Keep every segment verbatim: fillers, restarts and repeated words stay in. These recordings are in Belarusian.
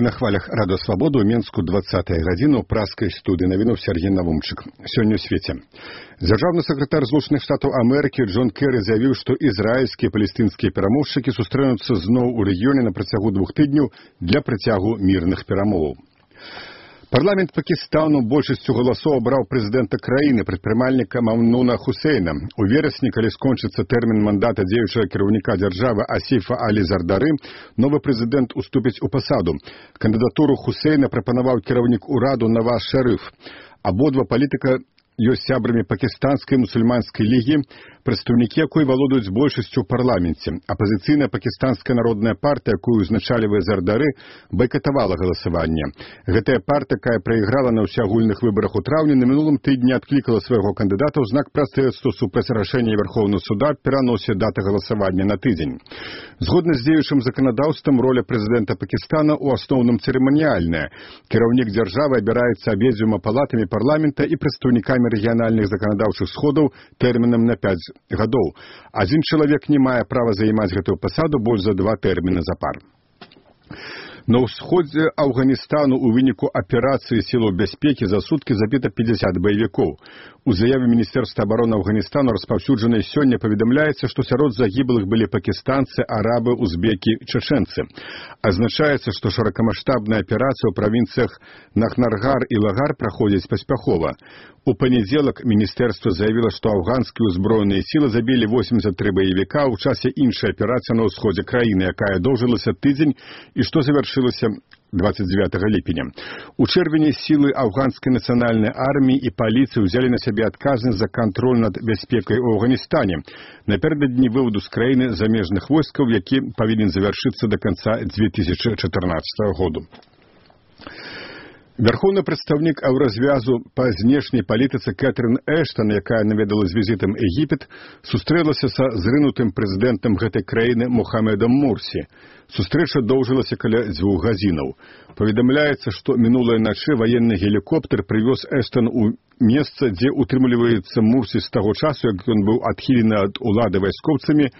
на хвалях Радио Свобода у Менску двадцатая гадзіна ў праскай студыі навінуў Сергей Навумчык. Сёння ў свеце. Дзяржаўны сакратар Злучаных Штатаў Амерыкі Джон Керрі заявіў, што ізраільскія і палестынскія перамоўшчыкі сустрэнуцца зноў у рэгіёне на працягу двух тыдняў для працягу мірных перамоваў. Парламент Пакістану большасцю галасоў абраў прэзідэнта краіны, прадпрымальніка Мамнуна Хусейна. У верасні, калі скончыцца тэрмін мандата дзеючага кіраўніка дзяржавы Асіфа Алі Зардары, новы прэзідэнт уступіць у пасаду. Кандыдатуру Хусейна прапанаваў кіраўнік ураду Наваз Шарыф. Абодва палітыка ёсць сябрамі пакістанскай мусульманскай лігі, прадстаўнікі якой валодаюць большасцю ў парламенце. Апазіцыйная пакістанская народная партыя, якую узначальвае Зардары, байкатавала галасаванне. Гэтая партыя, якая прайграла на ўсеагульных выбарах у траўні, на мінулым тыдні адклікала свайго кандыдата ў знак пратэсту супраць рашэння Верховнага суда пераносе даты галасавання на тыдзень. Згодна з дзеючым заканадаўствам, роля прэзідэнта Пакістана ў асноўным цырыманіяльная. Кіраўнік дзяржавы абіраецца абедзвюма палатамі парламента і прадстаўнікамі рэгіянальных заканадаўчых сходаў тэрмінам на пяць гадоў. Адзін чалавек не мае права займаць гэтую пасаду больш за два тэрміны запар. На ўсходзе Афганістану ў выніку аперацыі сілаў бяспекі за суткі забіта пятьдесят баевікоў. У заяве Міністэрства абароны Афганістану, распаўсюджанай сёння, паведамляецца, што сярод загіблых былі пакістанцы, арабы, узбекі, чачэнцы. Азначаецца, што шырокамаштабная аперацыя ў правінцыях Нахнаргар і Лагар праходзіць паспяхова. У панядзелак міністэрства заявіла, што афганскія ўзброеныя сілы забілі восемьдесят три баевіка ў часе іншай аперацыі на ўсходзе краіны, якая доўжылася тыдзень і што завяршылася двадцать девятого ліпеня. У чэрвені сілы афганскай нацыянальнай арміі і паліцыі ўзялі на сябе адказнасць за кантроль над бяспекай у Афганістане напярэдадні вываду з краіны замежных войскаў, які павінен завяршыцца да канца две тысячи чатырнаццатого году. Верховны прадстаўнік еўразвязу па знешняй палітыцы Кэтрын Эштон, якая наведала з візітам Егіпет, сустрэлася са зрынутым прэзідэнтам гэтай краіны Мухаммедам Мурсі. Сустрэча доўжылася каля дзвюх гадзінаў. Паведамляецца, што мінулай начы ваенны гелікоптер прывёз Эштон у месца, дзе утрымліваецца Мурсі з таго часу, як ён быў адхілены ад улады вайскоўцамі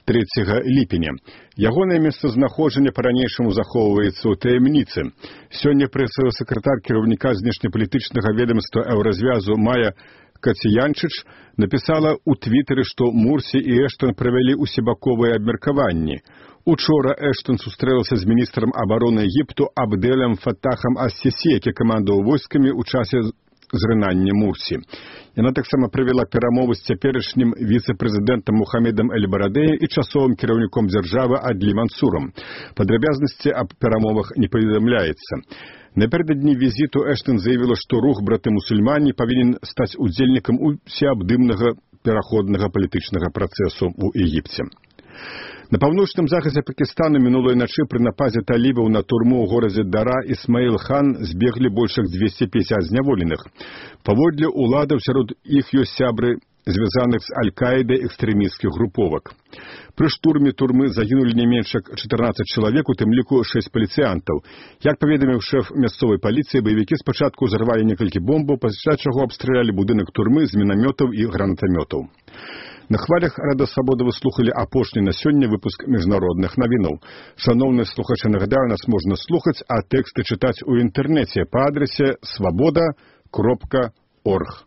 трэцяга ліпеня. Ягонае месцазнаходжанне па-ранейшаму захоўваецца ў таямніцы. Сёння прэсавы сакратар кіраўніка знешнепалітычнага ведамства еўразвязу Мая Кацянчыч напісала ў твітары, што Мурсі і Эштон правялі усебаковыя абмеркаванні. Учора Эштон сустрэлася з міністрам абароны Егіпту Абдэлем Фаттахам Ас-Сісі, які камандаваў войскамі ў часе зрынання Мурсі. Яна таксама правяла перамовы з цяперашнім віцэ-прэзідэнтам Мухаммедам Эль-Барадэем і часовым кіраўніком дзяржавы Адлі Мансурам. Падрабязнасці аб перамовах не паведамляецца. Напярэдадні візіту Эштон заявіла, што рух браты-мусульмане павінен стаць удзельнікам усеабдымнага пераходнага палітычнага працэсу ў Егіпце. На паўночным захадзе Пакістану мінулай начы пры нападзе талібаў на турму ў горадзе Дара Ісмаіл-хан збеглі больш як двести пятьдесят зняволеных. Паводле уладаў сярод іх ёсць сябры звязаных з Аль-Каідай экстрэмісцкіх груповак. Пры штурме турмы загінулі не менш як чатырнаццаць чалавек, у тым ліку шэсць паліцыянтаў. Як паведаміў шэф мясцовай паліцыі, баевікі спачатку ўзарвалі некалькі бомбаў, пасля чаго абстралялі будынак турмы з мінамётаў і гранатамётаў. На хвалях Радио Свобода вы слухали апошні на сёння выпуск міжнародных навінаў. Шановныя слухачы, нагадаю, нас можна слухаць, а тэксты чытаць у інтэрнэце па адрасе свобода кропка орг.